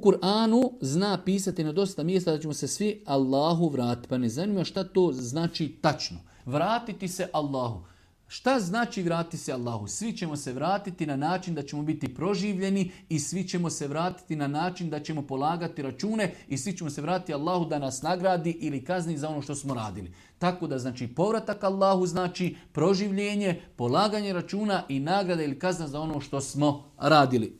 Kur'anu zna pisati na dosta mjesta da ćemo se svi Allahu vratiti. Pa ne zanima šta to znači tačno. Vratiti se Allahu. Šta znači vratiti se Allahu? Svi ćemo se vratiti na način da ćemo biti proživljeni i svi ćemo se vratiti na način da ćemo polagati račune i svi ćemo se vratiti Allahu da nas nagradi ili kazni za ono što smo radili. Tako da znači povratak Allahu znači proživljenje, polaganje računa i nagrada ili kazna za ono što smo radili.